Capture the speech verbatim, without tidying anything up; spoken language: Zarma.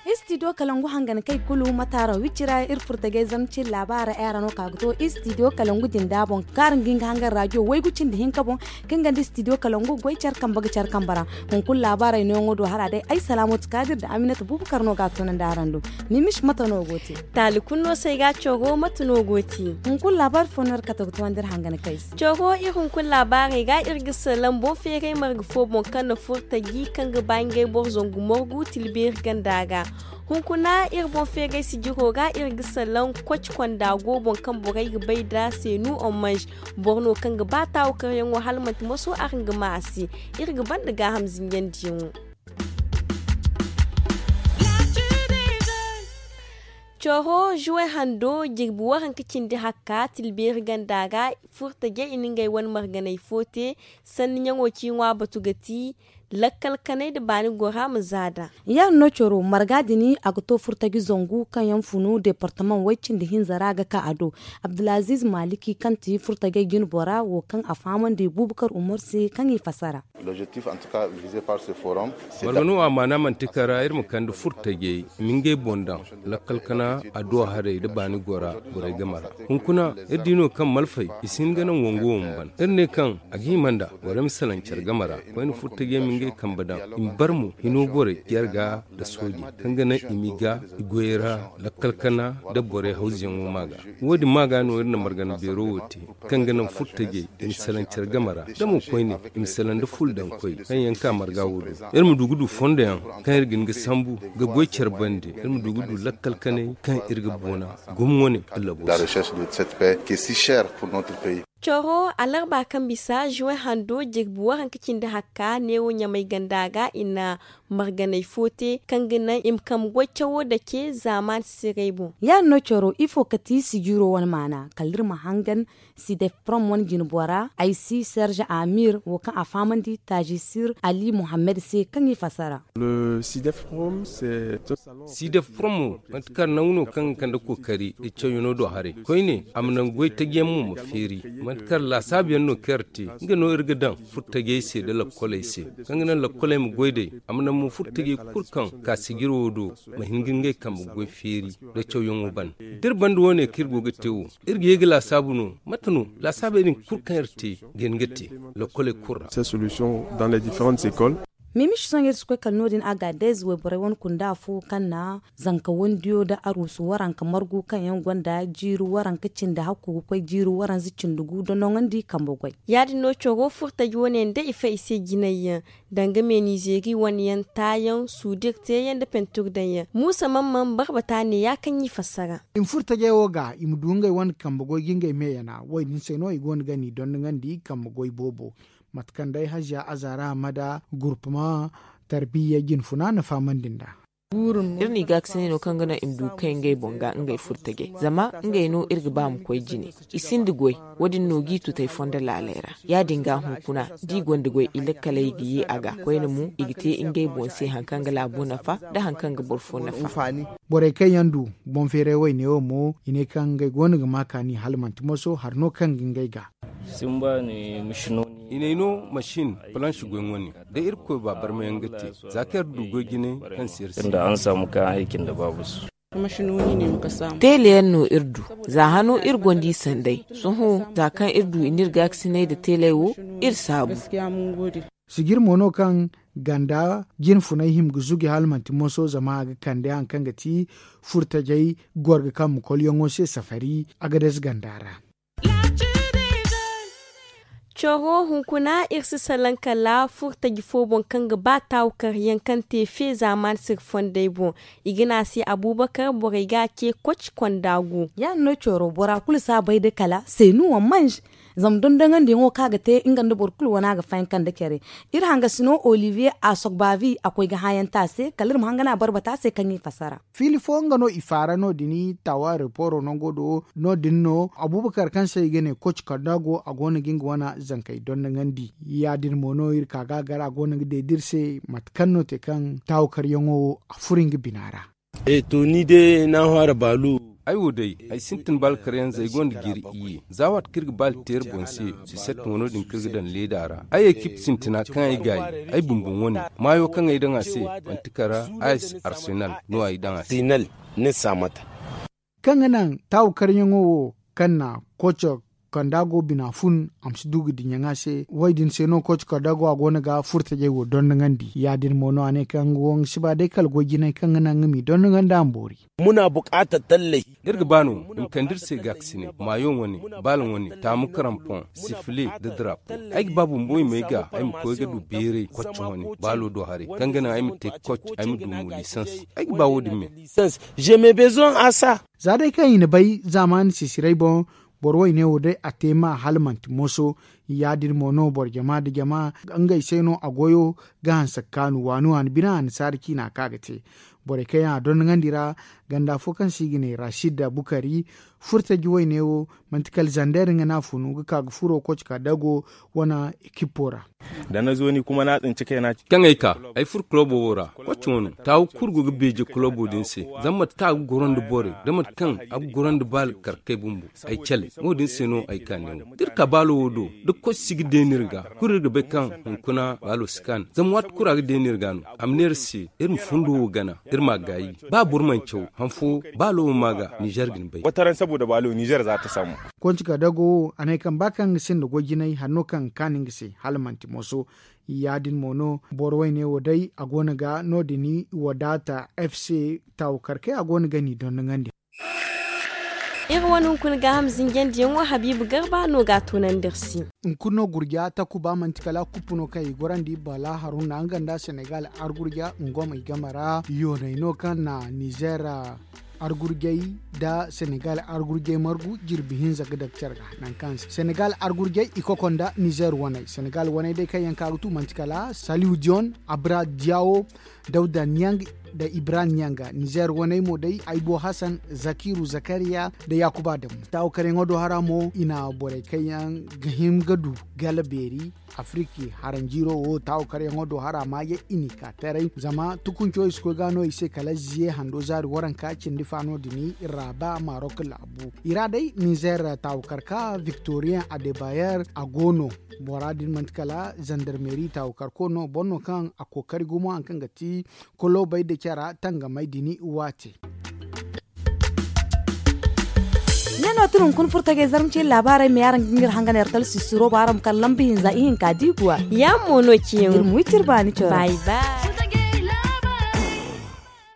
Istidiyo kalangu hangan kay kulu mataaro wicira iri furtagay zamci labaara era no ka ga to istidiyo kalangu jinda boŋ kaara ngi nga hangan rajiyo waygu cindi hinka boŋ. Kaŋ ganda istidiyo kalangu goy care kambe ga care kambe ra. Hunkuna laabaarey nooyaŋo do hara day ay salaamatu kaadir nda aminata bubakar no ga a tunandi araŋ do. Mimis mate no go te? Taali kulu no se ay ga a coro mate no go te? Hunkuna laabaari fo no iri kate ga tunandi iri hangan kay se. Coro iri hunkuna laabaarey ga iri ga salaŋ boŋ feeray marga fo boŋ kaŋ na furtaji kaŋ ga ba ngey boro zangu margu tilbeeri ganda ga. Hunkuna iri boŋ feeray sijiro ga iri ga salaŋ koci konda go boŋ kaŋ borey ga bay nd'a seenu omanj. Boro no kaŋ ga ba taawu karyaŋo hala manti maso araŋ ga ma a se. Iri ga banda gaaham zinjandiyaŋo. Coro juwe hando jirbi waranka cindi hakka tilbeeri ganda ga furtaje i na ngey wane marganey fo te. Sanni ɲaŋo ci ŋwa batu ga ti lakkal kanay nda baani gora ma zaada. Ya- din no coro marga din a ga to furtaji zangu kaŋ yaŋ funu departamaŋ way cindi hinza ra ga ka a do. Abdulaziiz maliki kaŋ ti furtajey jinbora wo kaŋ a fahamandi bubakar umar se kaŋ i fasara. Marga no a maana manti kara iri ma kande furtajey i ma ngey boŋ daŋ lakkal kana adduwa harey nda baani gora borey game ra. Hunkuna iri di no kaŋ malfey i si hin ga naŋ wango wo ma ban iri ne kaŋ a ga hima nda borey ma salaŋ care game ra. Koyne furtajey ma ngey kambe daŋ i ma bar mo hino borey yer ga nda sooje kaŋ ga naŋ i m'i ga i goyey ra lakkal kana nda borey hawzuyaŋo ma ga. Wo- din ma ga no iri na margana beero wo te kaŋ ga naŋ furtajey i ma salaŋ care game ra da mo koyne i ma salaŋ nda ful daŋ koy kaŋ yaŋ ka marga wo do. Iri ma du ga du fondo yaŋ kaŋ iri ga hin ga sambu ga goy care bande iri ma du ga du lakkal kanay kaŋ iri ga boona gom wane. Allabo se. Coro alarba kaŋ bisa juwe hando jirbi waranka cindi hakka neewo ɲamay ganda ga i na marganey fo te kaŋ ga naŋ i ma kambe goy cawo dake zaamaani siray boŋ. Ya- din no coro ifo ka ti sijiro wane maana kala iri ma hangan sidef prom wane jinbora ay si serge amir wo kaŋ a fahamandi taajisir ali muhammad se kaŋ i fasara. Sidef prom wo manti kar nangu no kaŋ ga kande kookari da cawyaŋo do haray koyne a ma naŋ goy taji yaŋ mo ma feeri. Manti kar laasaabu yaŋ no kaŋ iri te nga no iri ga daŋ furtajey se nda lakkoley se kaŋ ga naŋ lakkoley ma goy day a ma naŋ mo furtajey kulu kaŋ ka sijiro wo do ma hin ga ngey kambe goy feeri nda cawyaŋo ban. Da iri banda wo- ne kaŋ iri go ga te wo iri ga ye ga laasaabu no mate no laasaabey din kulu kaŋ iri te ga hin ga te lakkoley kulu ra. Mimis sohõ iri si koy kala no- din agadez wayborey wane kunda fo kaŋ na zanka wandiyo nda aruusu waranka margu kaŋ yaŋ gonda jiiri waranka cindi hakku ga koy jiiri waranza cindi gu nda noŋandi kambe goy. Ya- din no coro furtaji wane yaŋ da i fay i se jinay yaŋ danga meenizeeri wane yaŋ taayaŋ suudir teeyaŋ nda pentur daŋ yaŋ muusa man man barbata ne ya kaŋ i fassara. I ma furtajey wo ga i ma du ngey wane kambe goy ga ngey me yana wo- din se no i go no ga ni dondoŋandi kambe goy boobo. Mate kaŋ day haziya azaara hamada gurpuma tarbiya jinfuna na fahamandi nd'a. Iri n'i gaakasinay no kaŋ ga naŋ i ma du ga kay ngey boŋ ga ngey furtajey zama ngey no iri ga ba ma koy jine. I sinda goy. Wo- din no g'i tutay fondo laaley ra. Ya- din ga hunkuna d'i gonda goy i lakkaley ga ye a ga koyne mo i ga te ngey boŋ se hari kaŋ ga laabo nafa nda hari kaŋ ga boro fo nafa. Borey kaŋ yaŋ du boŋ feeray wayne wo mo i ne kaŋ ngey go no ga ma kaani hala manti moso hari no kaŋ ga ngey ga. I n'ay no masin palansi goy wane da irkoy ba barmayaŋ ga te. Za kaŋ iri du goy jinay kaŋ se iri sinda. Teele yaŋ no iri du. Za hano iri gonda i sanday. Sohõ za kaŋ iri du i n'iri gaakasinay nda teeley wo iri saabu. Sijir mo no kaŋ ganda jinfunay hima ga zugi hala manti moso zama a ga kande hari kaŋ ga ti furtajey gorga kaŋ ma kolyaŋo se safari. Agadez ganda ra. Coro hunkuna iri si salaŋ kala furtaji fo boŋ kaŋ ga ba taawu karyaŋ kaŋ te fe zaamaani sirfondey boŋ. I ga ne a se abubakar borey ga a ce koci konda gu. Ya- din no coro bora kulu si a bay da kala seenu wa manj. Zama dondoŋandiyaŋo kaŋ a ga te nga nda boro kulu wane a ga fayanka nda care. Iri hangasino olivier a sogbavi a koy ga hãayaŋ te a se kala iri ma hangana a barbata a se kaŋ i fassara. Fiili fo nga no i faara no- din tawa reporo nango do. No- din no abubakar kaŋ se i ga ne koci kanda go a go no ga nga wane zankey dondoŋandi. Ya- din mo no iri ka ga a gar a go no ga day da iri se mate kaŋ no te kaŋ tawa karyaŋo wo a furo nga bina ra. E to ni day ni a hãara baalu. Ay wo day ay sintin baali karyaŋ za ay gonda jiiri iyye za waati kaŋ iri ga baali te iri boŋ se. Sisette wano din kaŋ iri ga daŋ leeda ra ay ekip sintina kaŋ ay gaayi ay bumbo wane maayo kaŋ ay daŋ a se. Manti kara a si arsenal no ay daŋ a se. Kaŋ ga naŋ taawu karyaŋo wo kaŋ na koco kanda go bina fun a ma si du ga dinya ŋwa se. Wo- din se no koco kanda go a go no ga furtajey wo dondoŋandi ya- din mo no a ne kaŋ nga wo nga si ba day kala goy jinay kaŋ ga naŋ nga m'i dondoŋandi a ma boori. Muna bukaata talley. Iri ga ba no i ma kande iri se gaakasinay maayo wane, baala wane, taamu karampoŋ, sifile, nda darapo. Ay ga ba bumbo i m'ay ga ay ma koy ga du beeray kocce wane baalo do haray kaŋ ga naŋ ay ma te koc ay ma du mo lisans. Ay ga ba wo- din me. Lisans. Je me bezoŋ a sa. Za day kaŋ i na bay zaamaani sisiray boŋ, boro wayne wo day a te ma hala manti moso. Ya- din mo no boro jama nda jama ngey se no a goyo ga hanse ga kaanu waani waani bine annasaara ciina kaŋ a ga te. Borey kaŋ yaŋ a dondoŋandi ra ganda fo kaŋ se i ga ne rashid bukari furtaji wayne wo manti kala zander nga no a funu ga ka ga furo koci ka dago wane ekippo ra. Kaŋ ay ka ay furo kulobo wo ra, koci wano taawu kulu go ga beeje kulobo din se. Zama mate kaŋ a ga goro nda borey da mate kaŋ a ga goro nda baali karkey bumbo, ay cale. Wo- din se no ay ka neewo da iri ka baalo wo do, da koci si ga deeni iri ga kulu iri ga bay kaŋ hunkuna baalo si kaanu zama waati kulu a ga deeni iri ga no. A ma ne iri se iri ma fundo wo gana, iri m'a gaayi. Ba boro mana caw han fo baalo wo ma ga nizer ga ni bay. Wataran saboda baalo nizer za ta saamu. Konci ka dago wo a ne kaŋ ba kaŋ ga sinda goy jinay hari no kaŋ ga kaanu nga se hala manti moso. Ya- din mo no boro wayne wo day a go no ga no- din wadaata f c taawu karkey a go no ga ni dondoŋandi. Iri wane hunkuna gaaham zinjandiyaŋo habiibu garba no ga a toonandi iri se. Hunkuna no gurja takuba manti kala kuppu no kaŋ i gorandi bala haruna nga nda senegal argurja nga mo i game ra yooney no kaŋ na nizer argurjey nda senegal argurjey margu jirbi hinza ga daga care ga. Nangu kaŋ se senegal argurjey i koko nda nizer waney senegal waney day kaŋ yaŋ ka ga tu manti kala saliw dion abra diawo dawda niang nda ibrahim niang. Nizer waney mo day aybo hasan zakiru zakariya nda yakuba adamu taawo karyaŋo do hara mo i na borey kaŋ yaŋ ga hin ga du gala beeri. Afiriki haranjiiro wo taawo karyaŋo do hara maaje i n'i ka taray zama tukunco i si koy ga no i se kala ziye hando zaari waranka cindi faano din raaba marok laabu i ra day nizer taawo karka victoriyen adebayer a go no. Bora din manti kala zandarmeri taawo karko no boro no kaŋ a kookari gumo hari kaŋ ga ti kolobey nda cara tangamey din waate. Ne no ti hunkuna furtajey zarma ciine laabaarey ma ye araŋ ga ngir hangan iri talsi suro ba araŋ ma kala lamba hinza ihinka diiguwa. Yaamo no ciyaŋo iri ma wi ti iri baani coro bay bay.